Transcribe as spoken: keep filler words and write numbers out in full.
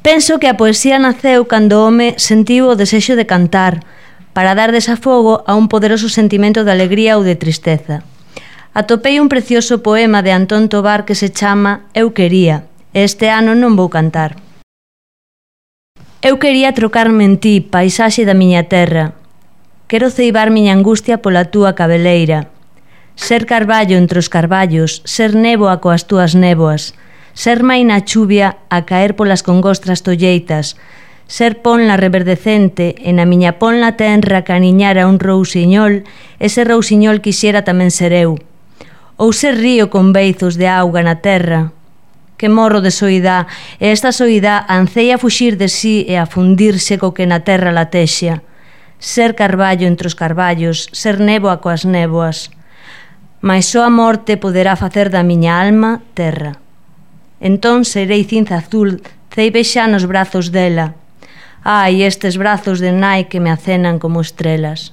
Penso que a poesía naceu cando o home sentiu o desexo de cantar, para dar desafogo a un poderoso sentimento de alegría ou de tristeza. Atopei un precioso poema de Antón Tobar que se chama Eu quería, e este ano non vou cantar. Eu quería trocarme en ti, paisaxe da miña terra. Quero ceibar miña angustia pola túa cabeleira. Ser carballo entre os carballos, ser néboa coas túas néboas, ser mai na chuvia a caer polas congostras tolleitas, ser ponla reverdecente e na miña ponla tenra caniñara un rousiñol, ese rousiñol quixera tamén ser eu. Ou ser río con beizos de auga na terra. Que morro de soidá, e esta soidá anceia fuxir de sí e a fundirse co que na terra latexa. Ser carballo entre os carballos, ser néboa coas néboas. Mais só a morte poderá facer da miña alma terra. Entón serei cinza azul, ceibe xa nos brazos dela. Ai, estes brazos de nai que me acenan como estrelas.